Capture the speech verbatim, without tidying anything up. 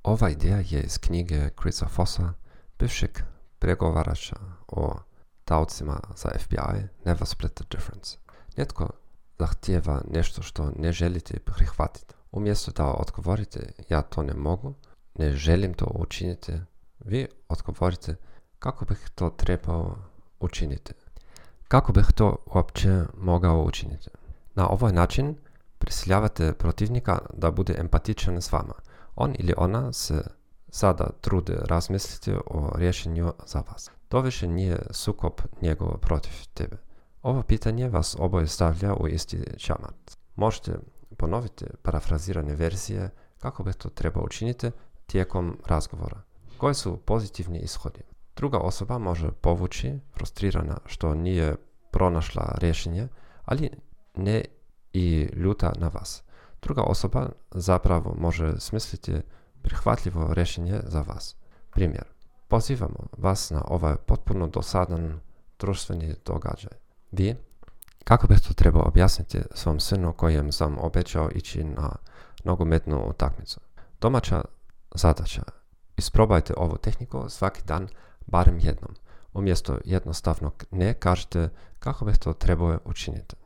Ova ideja je iz knjige Chrisa Fossa, bivšeg pregovarača o taocima za F B I, Never Split the Difference. Netko zahtijeva nešto što ne želite prihvatiti. Umjesto da odgovorite ja to ne mogu, ne želim to učiniti, vi odgovorite kako bih to trebao učiniti. Kako bih to uopće mogao učiniti? Na ovaj način prisiljavate protivnika da bude empatičan s vama. On ili ona se sada trude razmisliti o rješenju za vas. To više nije sukob njegov protiv tebe. Ovo pitanje vas oboje stavlja u isti čamac. Možete ponoviti parafrazirane verzije kako bih to trebao učiniti tijekom razgovora. Koji su pozitivni ishodi? Druga osoba može povući, frustrirana što nije pronašla rješenje, ali ne i ljuta na vas. Druga osoba zapravo može smisliti prihvatljivo rješenje za vas. Primjer. Pozivamo vas na ovaj potpuno dosadan društveni događaj. Vi, kako bih to trebao objasniti svom sinu kojem sam obećao ići na nogometnu utakmicu? Domaća zadaća. Isprobajte ovu tehniku svaki dan barem jednom. Umjesto jednostavnog ne kažete kako bih to trebao učiniti.